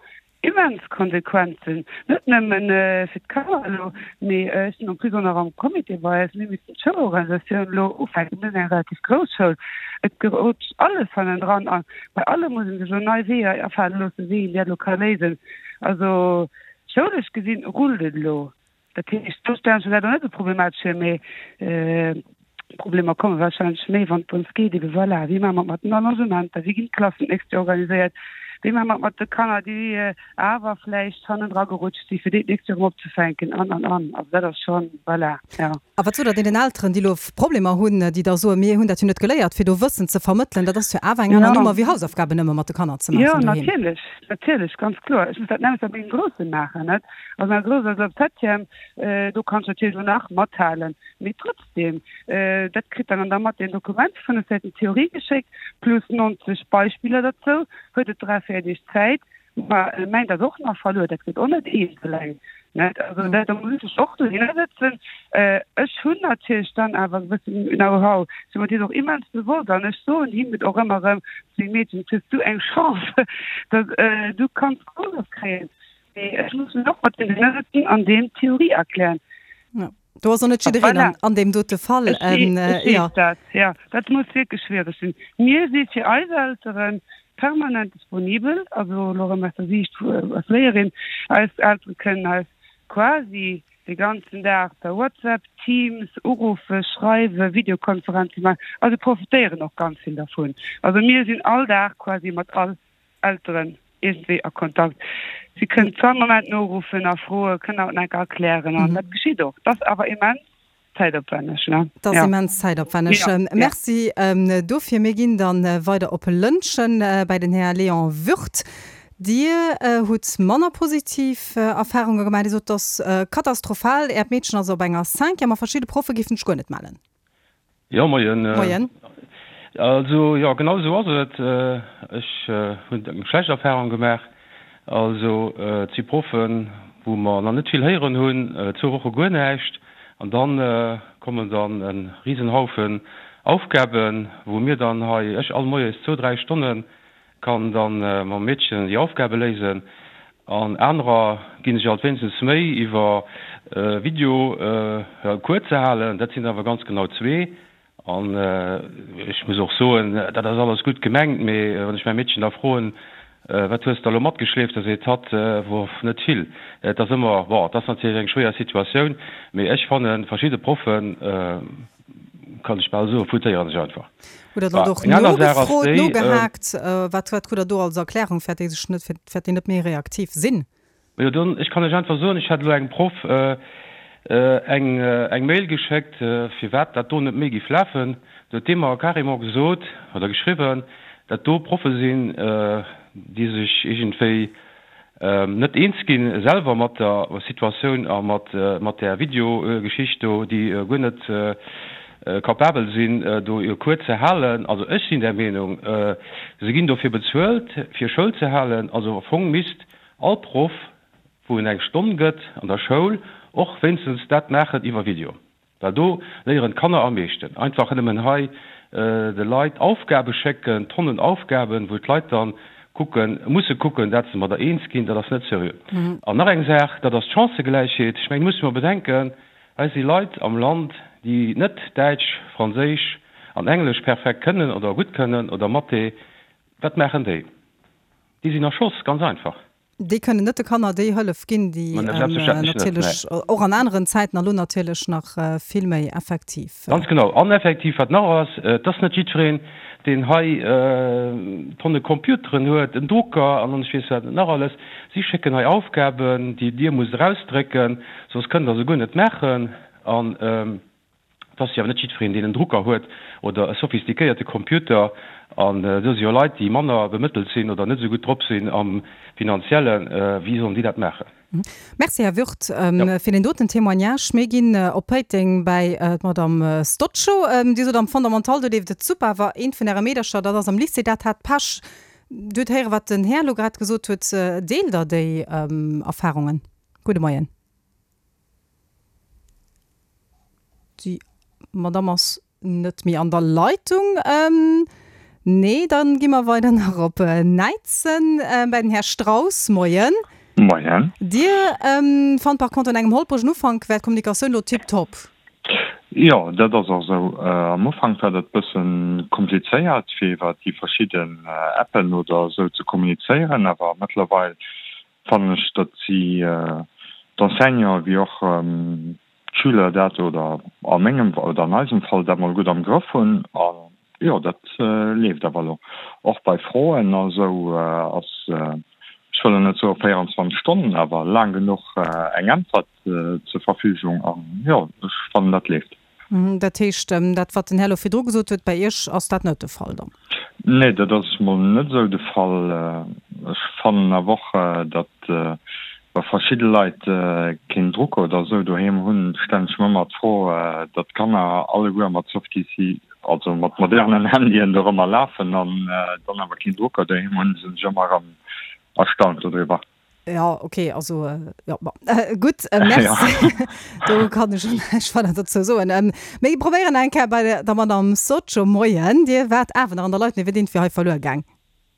immens Konsequenzen, net nëmmen fir d'Kanner elo, mee ech sinn en plus och nach am Comité bei eis, mir missten d'Schoulorganisatioun elo ufänken, mir sinn eng relativ grouss Schoul, et gerutscht alles hannendran a bei allem muss ee sech elo nei Weeër afale loossen, wéi een dat elo ka léisen. Also schoulesch gesinn rullt et elo. Dat heescht, do stellen ech mir dat och net esou problematesch vir, mee d'Problemer komme warscheinlech méi, wann et drëms geet, ebe voilà, wéi maache mer et mat den Allongementer, wéi ginn d'Klassen d'nächst Joer organiséiert, wéi maache mer et mat de Kanner, déi awer vläicht hannendra gerutscht sinn, fir déi d'nächst Joer erëm opzefänken an, an, an. Also dat ass schonn, voilà, jo. A wat sot Der deenen Elteren, déi elo Problemer hunn, déi da soen, mir hunn dat jo net geléiert, fir do Wëssen ze vermëttelen, dat ass jo awer eng aner Nummer wéi Hausaufgaben nëmme mat de Kanner ze maachen doheem? Jo, natierlech, natierlech, ganz kloer. Ech muss dat nämmlecht bei mengem Grousse maachen, net? Also mäi Grousse ass elo am Septième, do kann ech natierlech elo nach mathalen, mee trotzdem, dat kritt dann an der Mathé en Dokument, fënnef Säiten Theorie geschéckt, plus neunzeg Beispiller derzou, huet et dräi, véier Deeg Zäit. Ma mäint ass och nach verluer, dat gëtt och net eent eleng, net? Also dat, do muss ech och dohinner sëtzen. Ech hunn natierlech dann awer e gewëssen Know-how, sinn mer dees och immens bewosst an ech soen him et och ëmmer erëm, Meng Meedchen, hues du eng Chance, datt du kanns Course kréien. Mee ech muss mech och mat deem dohinner sëtzen an deem d'Theorie erklären. Jo, do ass och net jiddereen an, an deem dote Fall. Ech weess dat, jo. Dat muss wierklech schwiereg sinn. Mir si fir eis Elteren permanent disponibel, also elo erëm aus der Siicht als Léierin, eis Eltere kënnen eis quasi de ganzen Dag per WhatsApp, Teams uruffen, schreiwen, Videokonferenze maachen a se profitéieren och ganz vill dervun. Also mir sinn all Dag quasi mat all Elteren iergendwéi a Kontakt. Si kënnen zu all Moment noruffen a froen, kënnen haut nach eng Kéier erklären an dat geschitt och. Et ass awer immens zäitopwänneg, ne? Et ass immens zäitopwänneg. Merci dofir. Mir ginn da weider op Lëntgen bäi den Här Léon Würth. Dir hutt manner positiv Erfarunge gemaach. Dir sot, et ass katastrophal. Äert Meedchen ass op enger Cinquième a verschidde Proffe géifen sech guer net mellen. Jo, moien. Moien. Also, jo, genau esou ass et. Ech hunn eng schlecht Erfahrung gemaach. Also, et si Proffen, wou mer nach net vill héieren hunn, zwou Woche guer näischt, an da kommen dann e Risenhaufen Aufgaben, wou mir dann hei, ech all moies zwou, dräi Stonne kann dann mam Meedchen déi Aufgabe léisen. An anerer ginn sech alt wéinstens Méi iwwer Video e Cours ze halen. Dat sinn awer ganz genau zwee. An ech muss och soen, dat ass alles gutt gemengt, mee wann ech mäi Meedchen da froen, Wat hues de elo matgeschleeft, da seet hatt, Woff, net vill. Et ass ëmmer, bon, et ass natierlech eng schwéier Situatioun, mee ech fannen, verschidde Proffen, kann ech bal soen, foutéiere sech einfach. Hutt Der dann och nogefrot, nogehaakt? Wat krut Der do als Erklärung, fir déi sech net, fir déi net méi reaktiv sinn? Jo, dann, ech kann lech einfach soen, ech hat elo engem Proff eng eng Mail geschéckt, firwat dat do net méi géif lafen. Do huet dee mer carrément gesot oder geschriwwen, dat do Proffe sinn, déi sech iergendwéi net eens gi selwer mat der Situatioun a mat mat där Videogeschicht do, déi guer net capabel sinn, do e Cours ze halen. Also ech sinn der Meenung, se ginn dofir bezuelt, fir Schoul ze halen. Also am Fong misst All Proff, wou en eng Stonn gëtt an der Schoul, och wéinstens dat maachen iwwer Video, well do léieren d'Kanner am meeschten. Einfach nëmmen hei de Leit Aufgabe schécken, Tonnen Aufgaben, wou d'Leit dann kucken, musse kucken, dat se mat der eens ginn, dat ass net seriö. An nach eng Saach, dat ass d'Chancëgläichheet. Ech mengen, musse mer bedenken, hei si Leit am Land, déi net Däitsch, Franséisch an Englesch perfekt kënnen oder gutt kënnen oder Mathé. Wat maachen déi? Déi sinn erschoss, ganz einfach. Déi kënnen net de Kanner déi Hëllef ginn, déi natierlech och an aneren Zäiten a lo natierlech nach vill méi effektiv. Ganz genau. An effektiv, wat nach ass, et ass net jiddwereen, deen hei Tonne Computeren huet, en Drucker an ech weess wat net nach alles. Si schécken hei Aufgaben, déi Dir musst erausdrécken, soss kënnt Der se guer net maachen. An Et ass jo awer net jiddwereen, deen en Drucker huet oder e sophistiquéierte Computer. An do si jo Leit, déi manner bemëttelt sinn oder net esou gutt drop sinn am Finanziellen. Wéi sollen déi dat maachen? Merci, Här Würth, fir deen doten Témoignage. Mir ginn op Péiteng bäi d'Madame Stoccio. Dir sot, am Fondamental, do leeft et super, awer eent vun Äre Meedercher, dat ass am Lycée, dat hat Pech. Dir hutt héieren, wat den Här elo grad gesot huet. Deelt Der déi Erfahrungen? Gudde Moien. Déi Madamm ass net méi an der Leitung. Nee, da gi mer weider nach op Näidsen bäi den Här Strauss. Moien. Moien. Dir fannt par contre, an engem holpregen Ufank wär d'Kommunikatioun elo tiptop. Jo, dat ass och esou. Am Ufank war dat bësse komplizéiert, fir iwwer déi verschidden Appen oder esou ze kommunizéieren, awer mëttlerweil fannen ech, datt si d'Enseignanten wéi och d'Schüler dat, oder a mengem oder an eisem Fall, dat mol gutt am Grëff hunn. A jo, dat leeft awer elo. Och bei Froen a sou ass, ech wëll elo net soe véierundzwanzeg Stonnen, awer laang genuch eng Äntwert zur Verfügung. A jo, ech fannen, dat leeft. Dat heescht, dat wat den Här elo virdru gesot huet, bei Iech ass dat net de Fall dann? Nee, dat ass mol net esou de Fall. Ech fannen awer och, datt wa verschidde Leit keen Drucker oder esou doheem hunn, stellen ech mer ëmmer d'Fro, datt d'Kanner alleguer mat Softies, also mat modernen Handyen dorëmmer lafen an dann awer keen Drucker doheem hunn, sinn ech ëmmer erëm erstaunt dodriwwer. Ja, okay, also jo, bon, gutt, merci. Do kann ech och näischt weider dozou soen. Mir probéieren eng Kéier bei der Madame Socio. Moien, Dir waart awer nach an der Leitung, Dir wiert iergendwéi hei verluer gaang.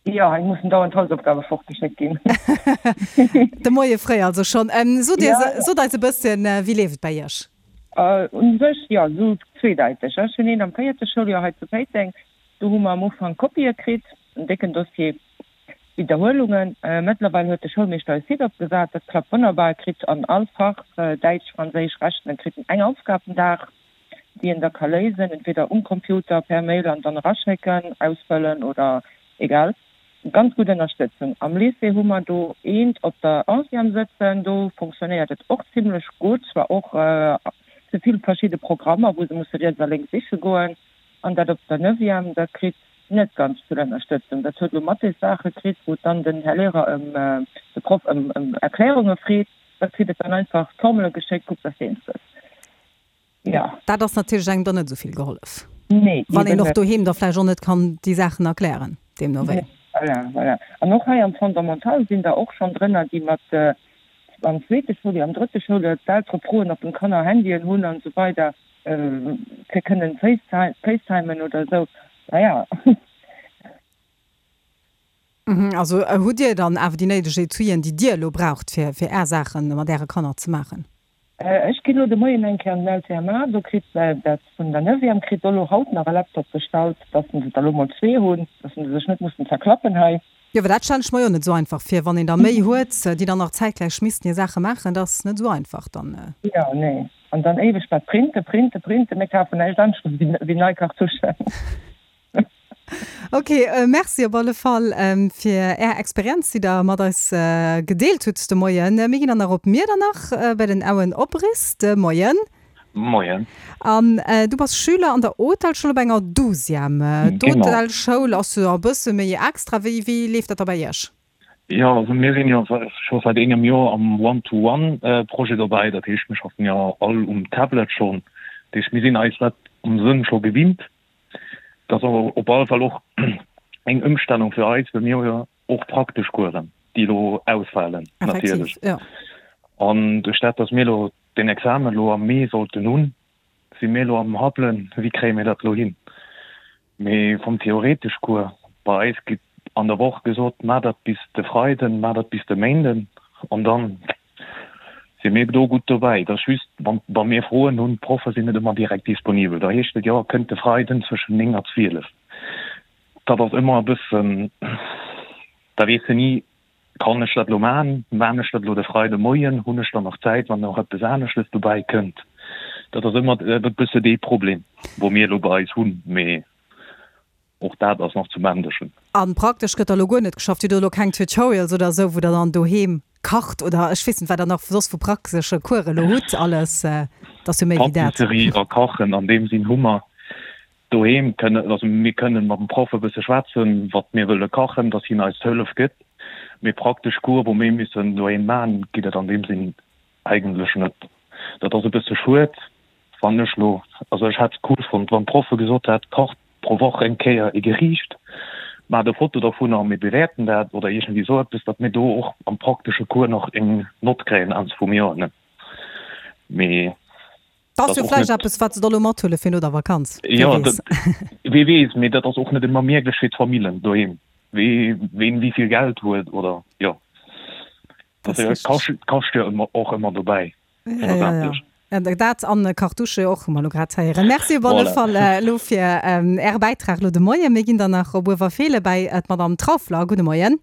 Jo, hei mussen dauernd Hausaufgabe fortgeschéckt ginn. De Moie fréi also schonn. Sot Dir, sot eis e bësschen, wéi leeft et bei Iech? U sech, jo, esou zweedeiteg. Ech hunn een am véierte Schouljoer hei zu Péiteng. Do hu mer am Ufank Kopië kritt, en décken Dossier. Widderhuelungen. Mëttlerweil huet de Schoulmeeschter e Site opgesat, dat klappt wonnerbar. E kritt an all Fach, Däitsch, Franséisch, Rechnen, kritt en eng Aufgab den Dag, déi en da ka léisen, entweder um Computer, per Mail an dann eraschécken, ausfëllen oder egal. Ganz gutt Ënnerstëtzung. Am Lycée hu mer do eent op der Onzième sëtzen, do fonctionnéiert et och zimlech gutt, zwar och ze vill verschidde Programmer, wou se musse riets a lénks siche goen. An dat op der Neuvième, dat kritt net ganz vill Ënnerstëtzung. Dat huet elo Mathés-Saache kritt, wou dann den Här Lehrer ëm, de Proff ëm, ëm Erklärunge freet. Da kritt et dann einfach d'Formele geschéckt, kuck, dass de eens gëss. Jo. Dat ass natierlech engem dann net esou vill gehollef. Nee, Wann eben een och net. doheem da vläicht och net kann déi Saachen erklären, deemno wéi. Nee, voilà, voilà. An och hei am Fondamental sinn der och schonn drënner, déi mat am zweete Schouljoer, am drëtte Schouljoer d'Eltere froen, ob d'Kanner Handyen hunn an esou weider. Fir kënnen facetimen oder esou, naja. Also hutt Dir dann awer déi néideg Etuien, déi Dir elo braucht, fir fir Är Saache mat Äre Kanner ze maachen? Ech ginn elo de Moien eng Kéier an den L C M A, do kritt dat vun der Neuvième kritt do elo haut nach e Laptop bestallt, dass se der elo mol zwee hunn, dass se sech net mussen zerklappen hei. Jo, well dat stellen ech mer jo net esou einfach vir, wann een der méi huet, déi dann nach zäitgläich missten hir Saache maachen, dat ass net esou einfach dann. Jo, nee. An dann éiweg dat Printen, Printen, Printen, mir kafen näischt anescht wéi nei Kartuschen. Ok, merci op alle Fall fir Är Experienz, déi Der mat eis gedeelt hutt de Moien. Mir ginn dann nach op Miedernach bei den Owen Obrist. Moien. Moien. An du bass Schüler an der Hotelschoul op enger Douzième. Genau. D'Hotelschoul ass jo e bësse méi extra. Wéi, wéi leeft dat da bei iech? Jo, also mir sinn jo scho säit engem Joer am One-to-One-Projet dobäi. Dat heescht, mir schaffen jo all um Tablet schonn. Dat heescht, mir sinn eis dat am Sënn scho gewinnt. Dat ass awer op alle Fall och eng Ëmstellung fir eis, well mir hu jo och praktesch Coursen, déi elo ausfalen natierlech. Effektiv, jo. An duerch dat, datt mir elo den Examen elo am Mee sollten hunn, si mir elo am Habbelen, wéi kréie mir dat elo hin. Mee vum theoretesch Cours, bei eis gitt an der Woch gesot, maach dat bis de Freiden, maach dat bis de Méinden an dann si mir do gutt dobäi. Et ass just, wann wa mir Froen hunn, d'Proffe sinn net ëmmer direkt disponibel, da heescht et, jo, kënnt de Freiden zwëschen néng a zwielef. Dat ass ëmmer e bëssen, da weess de ni, Kann ech dat elo maachen? Maan ech dat elo de Freide Moien? Hunn ech dann nach Zäit, wann nach eppes aneschtes dobäi kënnt? Dat ass ëmmer e bësse dee Problem, wou mir elo bei eis hunn, mee och dat ass nach zu managen. A praktesch gëtt da lo guer net geschafft? Dir hutt elo keng Tutorials oder esou, wou Der dann doheem kacht oder ech weess net, wat Der nach soss vu praktesche Coursen elo hutt alles? Et ass jo méi wéi dat. Patisserie a Kachen an deem Sinn hu mer doheem kënnen, also mir kënnen mat dem Proff e bësse schwätzen, wat mir wëlle kachen, dass hien eis d'Hëllef gëtt, mee praktesch Cours, wou mir missen doheem maachen, ginn et an deem Sinn eigentlech net. Dat ass e bësse schued, fannen ech lo. Also ech hätt et cool fonnt, wann d'Proffe gesot hätt, kacht pro Woch eng Kéier e Geriicht, maacht e Foto dovunner a mir bewäerten dat oder iergendwéi esou eppes, datt mir do och am praktesche Cours nach eng Nott kréien Enn vum Joer, ne? Mee. Dat ass jo vläicht eppes, wat se da lo mathuele fir no der Vakanz, wee weess. Jo, wee weess, mee dat ass och net ëmmer mierklech fir d'Famillen doheem, wee ween wéi vill Geld huet oder jo. Dat kascht jo ëmmer och ëmmer dobäi schlussendlech. Ja, dat an Cartouche och, hu mer elo grad héieren. Merci op alle Fall elo fir Äre Bäitrag elo de Moien. Mir ginn dann nach op Uewerfeelen bäi d'Madame Trauffler. Gudde Moien.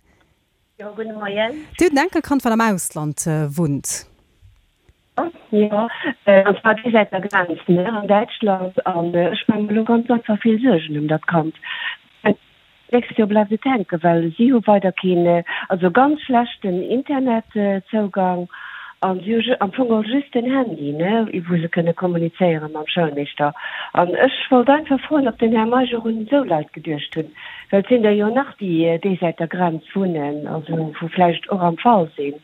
Jo, gudde Moien. Dir hutt en Enkelkand, wat am Ausland wunnt. Jo, an zwar déi Säit der Grenz, ne, an Däitschland. An ech maache mer elo ganz einfach vill Suergen ëm dat Kand. D'nächst Joer bleift et hänken, well si hu weider keen, also ganz schlechten Internetzougang an si hu am Fong och just den Handy, ne, wou se kënne kommunizéiere mam Schoulmeeschter. An ech wollt einfach froen, ob den Här Meisch och un esou Leit geduecht hunn, well et sinn der jo nach, déi déi Säit der Grenz wunnen, also wou vläicht och am Fall sinn.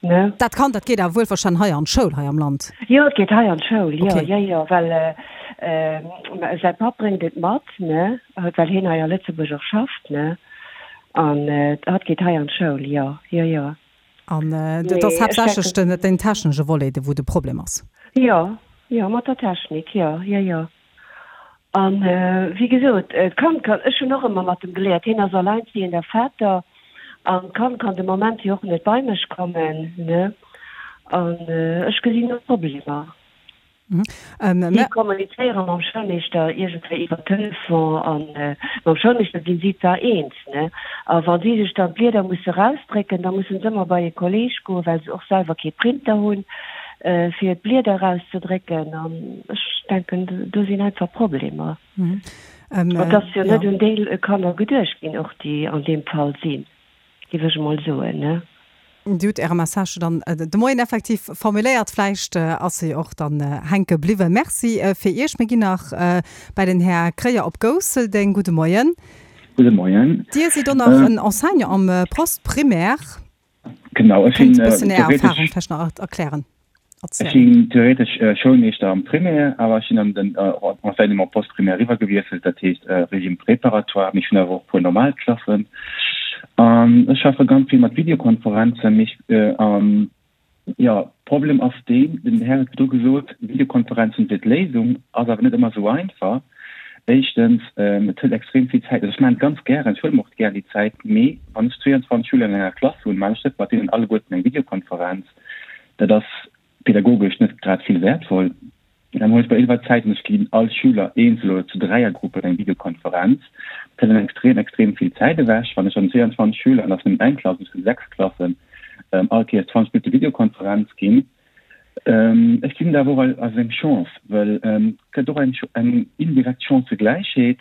Ne? Dat Kand, dat geet awer wuelverstanen hei an d'Schoul hei am Land? Jo, et geet hei an d'Schoul, jo, jo, jo, well säi Papp bréngt et mat, ne, well hien hei a Lëtzebuerg och schafft, ne, an hatt geet hei an d'Schoul, jo, jo, jo. An et ass haaptsächlech den, den technesche Volet, wou de Problem ass? Jo, jo, mat der Technik, jo, jo, jo. An wéi gesot, d'Kand kann, ech hunn och ëmmer mat em geléiert, hien ass alleinstehender Vater an d'Kand kann de Moment jo och net bei mech kommen, ne, an ech gesinn do Problemer. Si kommunizéiere mam Schoulmeeschter iergendwéi iwwer Telefon an mam Schoulmeeschter sinn si zwar eens, ne, a wa si sech dann d'Blieder musse rausdrécken, da mussen se ëmmer bei e Kolleeg goen, well se och selwer kee Printer hunn. fir d'Blieder erauszedrécken an ech denken, do sinn einfach Problemer. Et ass jo net un déi Kanner geduecht ginn, och déi an deem Fall sinn, géif ech emol soen, ne? Dir hutt Äre Message dann de Moien effektiv formuléiert. Vläicht ass se jo och dann hänke bliwwen. Merci fir Iech. Mir ginn nach bei den Här Kreyer op Gousseldeng. Gudde Moien. Gudde Moien. Dir sidd och nach en Enseignant am Post-primaire. Genau, ech Kéint sinn e bëssen Är Erfahrung theoretesch vläicht nach erklären, ech erzielen? sinn theoretesch Schoulmeeschter am Primaire, awer ech sinn an den Enseignement post-primaire eriwwergewiesselt, dat heescht Régime préparatoire, mee ech hunn awer och e puer normal Klassen. An ech schaffe ganz vill mat Videokonferenzen, mee ech an jo, Problem ass deen, den Här huet virdru gesot, Videokonferenzen wier d'Léisung, ass awer net ëmmer esou einfach. Éischtens, et hëlt extrem vill Zäit. Also ech maachen et ganz gären, ech huele mer och gär déi Zäit, mee wann ech zweeanzwanzeg Schüler an enger Klass hunn, maachen ech net mat deenen alleguerten eng Videokonferenz. Dat ass pedagogesch net grad vill wäertvoll. Dann huele ech mer iwwer Zäit an ech ginn all Schüler eenzel oder zu Dräiergruppen eng Videokonferenz. Dat hëlt dann extrem, extrem vill Zäit ewech. Wann ech dann zweeanzwanzeg Schüler, an dat ass nëmmen eng Klass, ech hunn sechs Klassen, all Kéiers zwanzeg Minutte Videokonferenz ginn, Ech gesinn dat awer och als eng Chance, well et gëtt och eng indirekt Chancëgläichheet,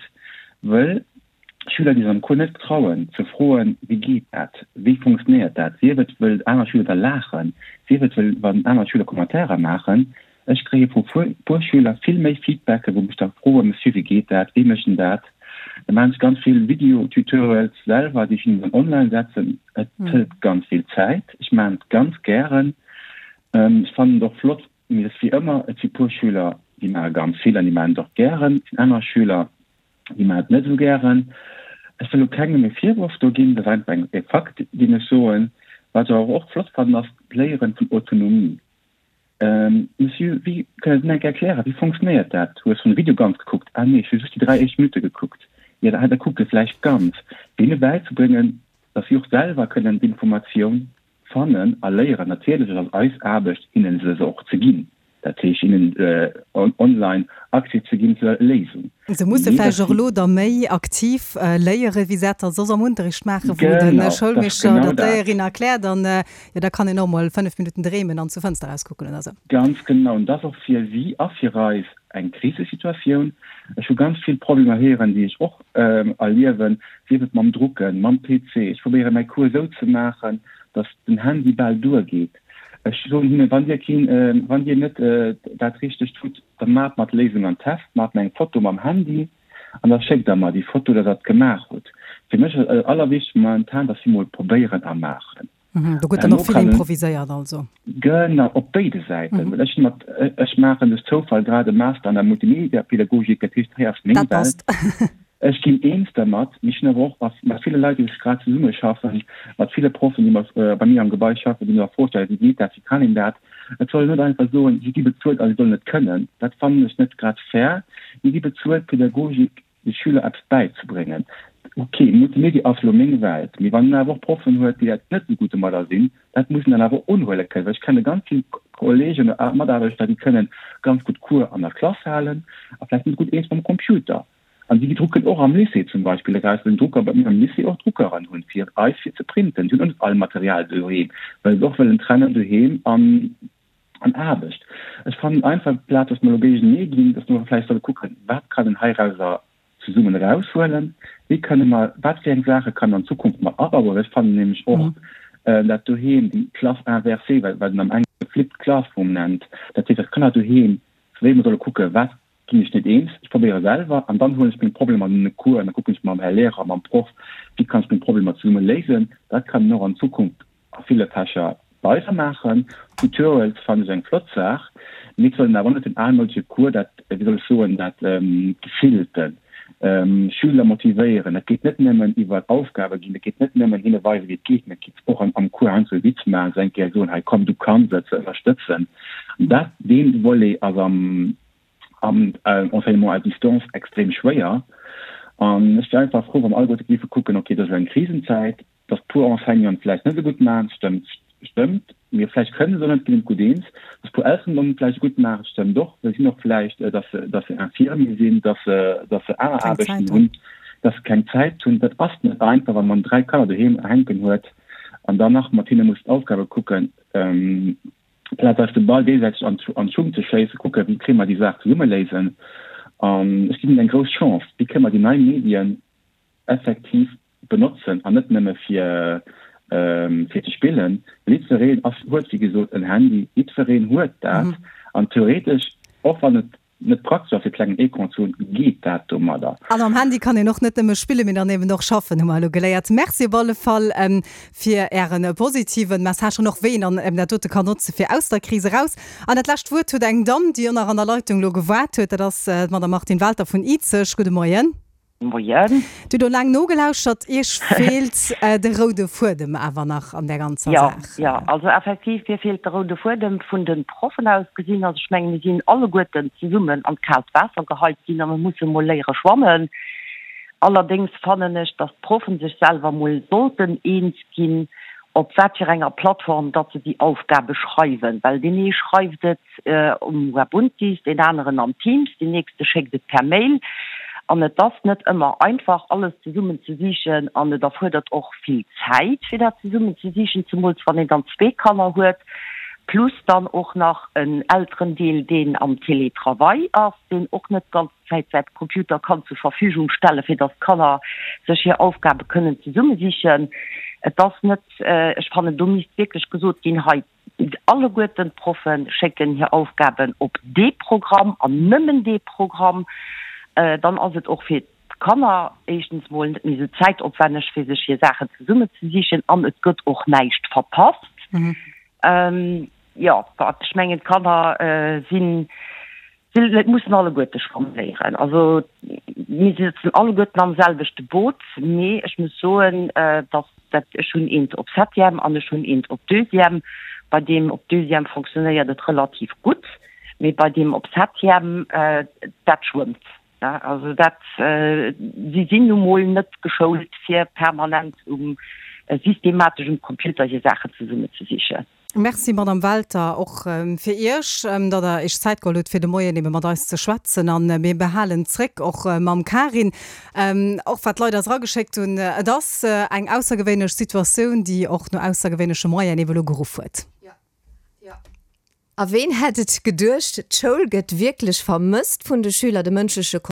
well Schüler, déi sech am Cours net trauen ze froen, wéi geet dat, wéi funktionéiert dat, sief et wëll aner Schüler da laachen, sief et wëll wann aner Schüler Commentairer maachen, ech kréie vu puer Schüler vill méi Feedbacken, wou mech da froen, Monsieur, wéi geet dat, wéi mécht en dat? Da maachen ech ganz vill Video-Tutorials selwer, déi ech hinnen dann online setzen. Et hëlt ganz vill Zäit, ech maachen et ganz gären. Ech fannen et och flott, mee et ass wéi ëmmer, et si puer Schüler, déi maache ganz vill an déi maachen et och gären. Et sinn aner Schüler, déi maachen et net esou gären. Ech wëll elo kengem e Virworf do ginn, dat ass einfach eng e Fakt, deen ech soen. Wat ech awer och flott fannen, ass d'Léieren vun Autonomie. Monsieur, wéi, kënnt Der mir eng Kéier erklären, wéi fonctionnéiert dat? Hues schonn de Video ganz gekuckt? Ah nee, ech hu just déi dräi éischt Minutte gekuckt. Jo, da kuck e vläicht ganz. Deene bäizebréngen, datt si och selwer kënnen d'Informatioun fannen a léieren. Natierlech, et ass eis Aarbecht, hinnen se se och ze ginn. Dat heescht hinnen online Accès ze ginn zur Léisung. Se musse vläicht och elo da méi aktiv léieren, wéi se dat da soss am Unterricht maachen, wou de Schoulmeeschter oder d'Léierin erkläert an jo da kann een och mol fënnef Minutten dreemen an zur Fënster erauskucken oder sou. Ganz genau. An dat ass och fir si a fir eis eng Krisesituatioun. Ech hu ganz vill Problemer héieren, déi ech och erliewen, sief et mam Drucken, mam P C. Ech probéiere mäi Cours esou ze maachen, datt den Handy bal duergeet. Ech soen hinnen, wann Dir keen, wann Dir net dat Richtegt hutt, da maacht mer d'Léisung am Test, maacht mer eng Foto mam Handy an da schéckt Der mer déi Foto, datt Der et gemaach hutt. Fir mech ass et allerwichtegst momentan, datt si mol probéieren a maachen. Do gëtt dann och vill improviséiert also. Genau, op béide Säiten. Well ech hunn mat, ech maachen duerch Zoufall grad e Master an der Multimediapädagogik, dat heescht, hei ass meng Dat Welt. passt. Ech ginn eens dermat, mee ech hunn awer och mat ville Leit, déi ech grad zesummeschaffen, mat ville Proffen, déi mat bei mir am Gebai schaffen, déi mir a Fro stellen, Wéi geet dat, wéi kann een dat? Et soll een net einfach soen, si gi bezuelt a si sollen et kënnen. Dat fannen ech net grad fair. Mir gi bezuelt, Pädagogik de Schüler eppes bäizebréngen. Ok, Multimedia ass elo meng Welt, mee wann een awer och Proffen huet, déi dat net esou gutt domadder sinn, dat muss een dann awer unhuele kënnen. Well ech kenne ganz vill Kollegen oder Mataarbechter, déi kënnen ganz gutt Cours an der Klass halen a vläicht net gutt eens mam Computer. An déi drucken och am Lycée zum Beispill eraus, well den Drucker bei mir am Lycée och Druckeren hunn, fir eis fir ze printen. Si hunn och net all Material doheem, well se och wëllen trennen doheem an an Aarbecht. Ech fannen einfach, amplaz dass mer elo géigenee ginn, dass mer vläicht solle kucken, wat kann een heirauser zesummen eraushuelen, wéi kënne mer, wat fir eng Saache kann an Zukunft mat abauen. Well ech fannen nämlech och dat doheem, déi Classe inversée, wat een am Englesche flipped classroom nennt, dat heescht, dass d'Kanner doheem, wéi mer solle kucken, wat ginn ech net eens, ech probéiere selwer an dann huelen ech meng Problemer an den Cours an da kucken ech mam Här Lehrer, mam Proff, wéi kann ech meng Problemer zesumme léisen. Dat kann een och an Zukunft a ville Fächer weidermaachen. Tutorials fannen ech eng flott Saach, mee et soll een awer net den almoudege Cours, dat, wéi soll ech soen, dat Gefillten, Schüler motivéieren, dat geet net nëmmen iwwer Aufgabe ginn, dat geet net nëmmen hinne weisen, wéi et geet, mee et geet och am Cours heiansdo e Witz maachen, se eng Kéier soen, hei komm, du kanns et, se ënnerstëtzen. An dat, dee Volet ass am am Enseignement à distance extrem schwéier. An ech wier einfach frou, wa mer alleguerte géife kucken, okay, dat ass elo eng Krisenzäit, dass puer Enseignanten vläicht net esou gutt maachen, stëmmt, stëmmt, mee vläicht kënne se och net, ginn net gutt eens, dass puer Elteren et vläicht gutt maachen, stëmmt och, well si sinn och vläicht, dass se, dass se Infirmier sinn, dass se, dass se aner Aarbechten hunn, dass se keng Zäit hunn. Dat ass net einfach, wa man dräi Kanner doheem hänken huet an dann nach mat hinne muss d'Aufgabe kucken. Plaz eis de Ball géigesäiteg an d'Schung ze schéissen, kucken, wéi kréie mer déi Saach zesumme léisen. An ech ginn hinnen eng grouss Chance, wéi kënne mer déi nei Medien effektiv benotzen an net nëmme fir fir ze spillen. Well jiddwereen ass, huet wéi gesot en Handy, jiddwereen huet dat an theoretesch, och wann et net praktesch ass fir klengen Ecran ze hunn, geet dat domadder. An am Handy kann een och net nëmme spillen, mee dann eben och schaffen, hu mer elo geléiert. Merci op alle Fall fir Ären positiven Message an och wéi een dann eben dat dote kann notze fir aus der Kris eraus. An dat lescht Wuert huet eng Damm, déi och nach an der Leitung elo gewaart huet, dat ass d'Madame Martine Welter vun Izeg. Gudde Moien. Moien. Dir hutt elo laang nogelauschtert. Iech feelt de roude Fuedem awer nach an där ganzer Jo, Saach. jo, also effektiv, mir feelt de roude Fuedem vun de Proffen aus gesinn. Also ech mengen, mir sinn alleguerten zesummen an d'kaalt Waasser geheit ginn a mir musse mol léiere schwammen. Allerdéngs fannen ech, datt d'Proffen sech selwer mol sollten eens ginn, op wat fir enger Plattform datt se déi Aufgabe schreiwen, well deen ee schreift et um Webuntis, deen aneren am Teams, deen nächste schéckt et per Mail. An et ass net ëmmer einfach, alles zesummen ze sichen an et erfuerdert och vill Zäit, fir dat zesummen ze sichen, zemools wann een dann zwee Kanner huet, plus dann och nach en Elterendeel, deen am Télétravail ass, deen och net d'ganz Zäit säi Computer kann zur Verfügung stellen, fir dass d'Kanner sech hir Aufgabe kënnen zesummesichen. Et ass net, ech fannen, do misst wierklech gesot ginn, hei, alleguerten d'Proffe schécken hir Aufgaben op dee Programm an nëmmen dee Programm, dann ass et och fir d'Kanner éischtens mol net méi esou zäitopwänneg, fir sech hir Saachen zesummezesichen an et gëtt och näischt verpasst. Jo, ech mengen, d'Kanner sinn, si mussen alleguerte schwamme léieren. Also mir sëtzen alleguerten am selwechte Boot, mee ech muss soen, datt dat, ech hunn eent op Septième an ech hunn eent op Deuxième. Bei deem op Deuxième fonctionnéiert et relativ gutt, mee bei deem op Septième, dat schwëmmt. Also dat, si sinn nu mol net geschoult, fir permanent um systematesch um Computer hir Saachen zesummezesichen. Merci Madame Welter och fir Iech, datt Der Iech Zäit geholl hutt fir de Moien ebe mat eis ze schwätzen an mir behalen zréck och mam Karin och wat d'Leit eis erageschéckt hunn. Et ass eng aussergewéinlech Situatioun, déi och no aussergewéinleche Moyen ebe lo geruff huet. A ween hätt et geduecht, d'Schoul gëtt wierklech vermësst vun de Schüler, de mënschleche.